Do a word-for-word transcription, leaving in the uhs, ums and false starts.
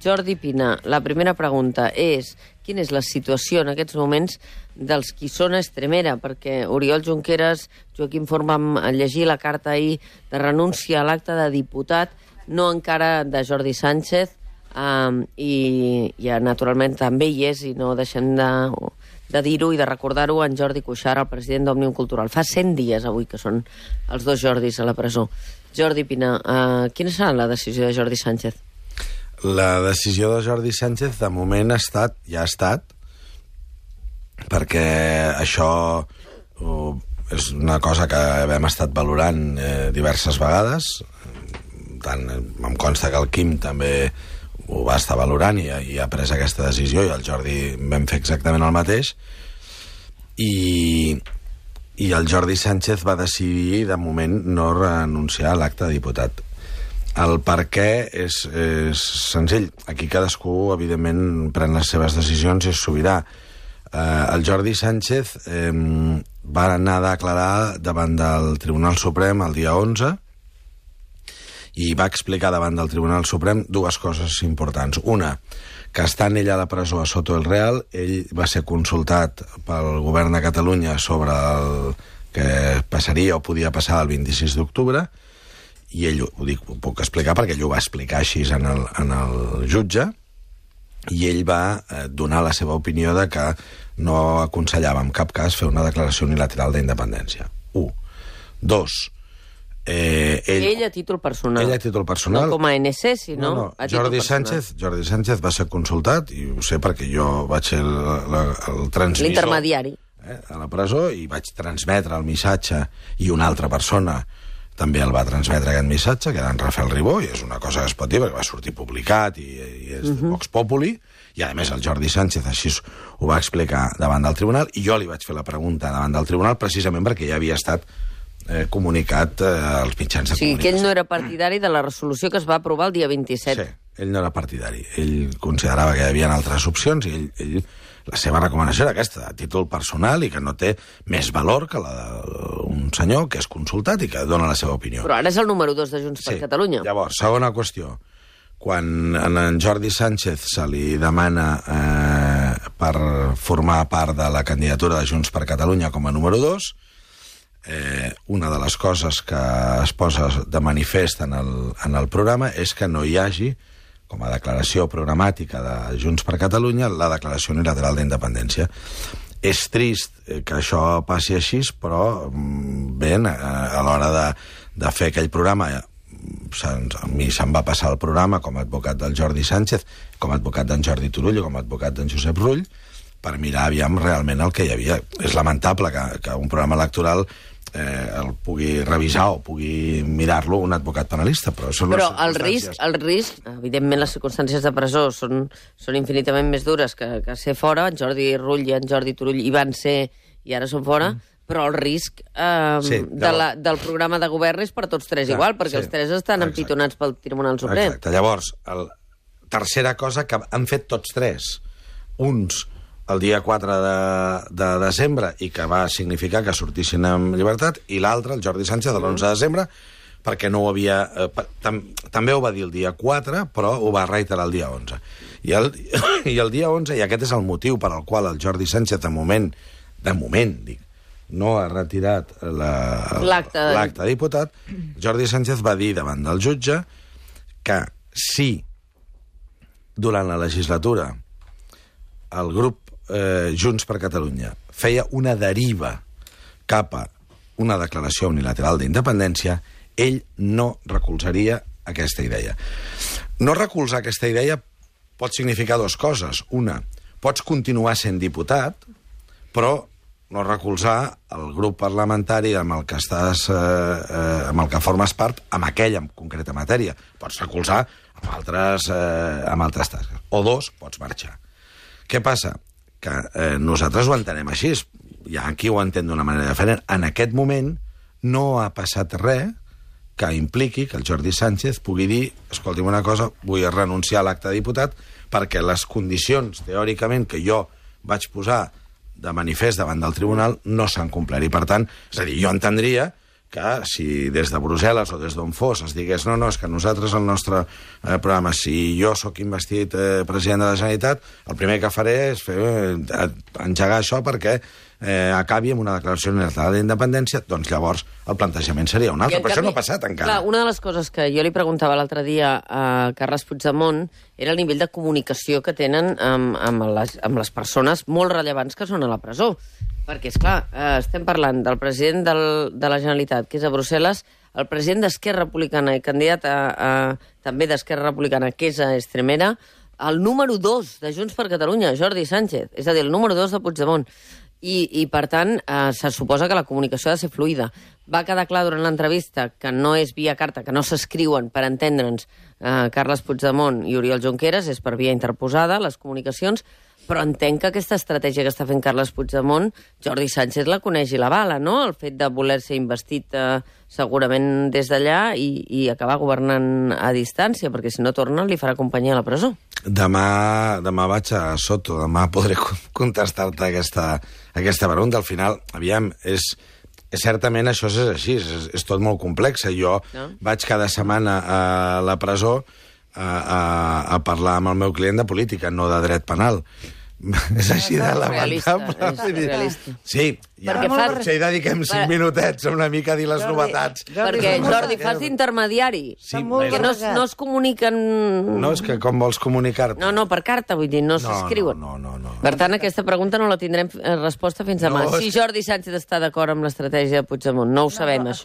Jordi Pina, la primera pregunta és quina és la situació en aquests moments dels qui són a Extremera? Perquè Oriol Junqueras, Joaquim Forn, vam llegir la carta ahir de renúncia a l'acte de diputat, no encara de Jordi Sánchez, um, i, i naturalment també hi és, i no deixem de, de dir-ho i de recordar-ho, en Jordi Cuixart, el president d'Òmnium Cultural. Fa cent dies avui que són els dos Jordis a la presó. Jordi Pina, uh, quina serà la decisió de Jordi Sánchez? La decisió de Jordi Sánchez de moment ha estat, ja ha estat, perquè això uh, és una cosa que hem estat valorant eh, diverses vegades. Tant em consta que el Quim també ho va estar valorant i, i ha pres aquesta decisió, i el Jordi vam fer exactament el mateix, i, i el Jordi Sánchez va decidir de moment no renunciar a l'acte de diputat. El per què és, és senzill. Aquí cadascú, evidentment, pren les seves decisions i és sobirà. Eh, el Jordi Sánchez eh, va anar a declarar davant del Tribunal Suprem el dia onze i va explicar davant del Tribunal Suprem dues coses importants. Una, que estant ell a la presó a Soto el Real, ell va ser consultat pel govern de Catalunya sobre el que passaria o podia passar el vint-i-sis d'octubre, i ell, ho, dic, ho puc explicar perquè ell ho va explicar així en el, en el jutge, i ell va eh, donar la seva opinió de que no aconsellava en cap cas fer una declaració unilateral d'independència. Un. Dos. Eh, ell, ell a títol personal. Ell a títol personal. No com a A N C, sinó no, no. a títol Jordi personal. Sánchez, Jordi Sánchez va ser consultat, i ho sé perquè jo vaig ser el, el, el transmissor... L'intermediari. Eh, a la presó, i vaig transmetre el missatge, i una altra persona també el va transmetre aquest missatge, que era en Rafael Ribó, i és una cosa que es pot dir, perquè va sortir publicat, i, i és uh -huh. Vox Populi, i a més el Jordi Sánchez així ho va explicar davant del tribunal, i jo li vaig fer la pregunta davant del tribunal precisament perquè ja havia estat eh, comunicat eh, als mitjans de o sigui, comunicació. que ell no era partidari de la resolució que es va aprovar el dia vint-i-set. Sí, ell no era partidari. Ell considerava que hi havia altres opcions, i ell, ell la seva recomanació era aquesta, a títol personal, i que no té més valor que la d'un senyor que és consultat i que dona la seva opinió. Però ara és el número dos de Junts Sí. per Catalunya. Llavors, segona qüestió. Quan a en Jordi Sánchez se li demana eh, per formar part de la candidatura de Junts per Catalunya com a número dos, eh, una de les coses que es posa de manifest en el, en el programa és que no hi hagi, com a declaració programàtica de Junts per Catalunya, la declaració unilateral d'independència. És trist que això passi així, però bé, a l'hora de, de fer aquell programa, a mi se'm va passar el programa com a advocat del Jordi Sánchez, com a advocat d'en Jordi Turull i com a advocat d'en Josep Rull, per mirar aviam realment el que hi havia. És lamentable que, que un programa electoral eh, el pugui revisar o pugui mirar-lo un advocat penalista, però són Però les el risc, el risc, evidentment les circumstàncies de presó són, són infinitament més dures que, que ser fora. En Jordi Rull i en Jordi Turull hi van ser i ara són fora, mm. però el risc eh, sí, de la, del programa de govern és per tots tres Clar, igual, perquè sí, els tres estan exacte. empitonats pel Tribunal Suprem. Exacte. Llavors, el, tercera cosa que han fet tots tres. Uns el dia quatre de, de desembre, i que va significar que sortissin amb llibertat, i l'altre, el Jordi Sánchez, de l'onze de desembre, perquè no ho havia... Eh, tam, també ho va dir el dia quatre, però ho va reiterar el dia onze. I el, i el dia onze, i aquest és el motiu per al qual el Jordi Sánchez, de moment, de moment, dic, no ha retirat l'acte de... de diputat, Jordi Sánchez va dir davant del jutge que si durant la legislatura el grup eh, Junts per Catalunya feia una deriva cap a una declaració unilateral d'independència, ell no recolzaria aquesta idea. No recolzar aquesta idea pot significar dues coses. Una, pots continuar sent diputat, però no recolzar el grup parlamentari amb el que estàs, eh, eh, amb el que formes part, amb aquella en concreta matèria. Pots recolzar amb altres, eh, amb altres tasques. O dos, pots marxar. Què passa? Que eh, nosaltres ho entenem així. Hi ha qui ho entén d'una manera diferent. En aquest moment no ha passat res que impliqui que el Jordi Sánchez pugui dir, escolti'm una cosa, vull renunciar a l'acte de diputat perquè les condicions, teòricament, que jo vaig posar de manifest davant del tribunal no s'han complert. I, per tant, és a dir, jo entendria que si des de Brussel·les o des d'on fos es digués no, no, és que nosaltres el nostre eh, programa, si jo sóc investit eh, president de la Generalitat, el primer que faré és fer, eh, engegar això perquè eh, acabi amb una declaració unilateral d'independència, doncs llavors el plantejament seria un altre. Però canvi, això no ha passat encara. Clar, una de les coses que jo li preguntava l'altre dia a Carles Puigdemont era el nivell de comunicació que tenen amb, amb, les, amb les persones molt rellevants que són a la presó. Perquè, esclar, eh, estem parlant del president del, de la Generalitat, que és a Brussel·les, el president d'Esquerra Republicana i candidat a, a, també d'Esquerra Republicana, que és a Estremera, el número dos de Junts per Catalunya, Jordi Sánchez, és a dir, el número dos de Puigdemont. I, i per tant, eh, se suposa que la comunicació ha de ser fluida. Va quedar clar durant l'entrevista que no és via carta, que no s'escriuen, per entendre'ns, eh, Carles Puigdemont i Oriol Junqueras, és per via interposada, les comunicacions, però entenc que aquesta estratègia que està fent Carles Puigdemont, Jordi Sánchez la coneix i la bala, no? El fet de voler ser investit eh, segurament des d'allà i, i acabar governant a distància, perquè si no torna li farà companyia a la presó. Demà, demà vaig a Soto, demà podré contestar-te aquesta, aquesta pregunta. Al final, aviam, és... Certament això és així, és, és tot molt complex. Jo no? vaig cada setmana a la presó a, a, a parlar amb el meu client de política, no de dret penal. És així de lamentable. És realista. Sí, ja, fa... potser hi dediquem cinc per... minutets a una mica a dir les Jordi, novetats. Jordi, perquè, Jordi, fas d'intermediari. Sí, que no, no es comuniquen... No, és que com vols comunicar-te? No, no, per carta, vull dir, no, no s'escriuen. No, no, no, no. Per tant, aquesta pregunta no la tindrem resposta fins demà. No, si Jordi Sánchez està d'acord amb l'estratègia de Puigdemont, no ho sabem, això.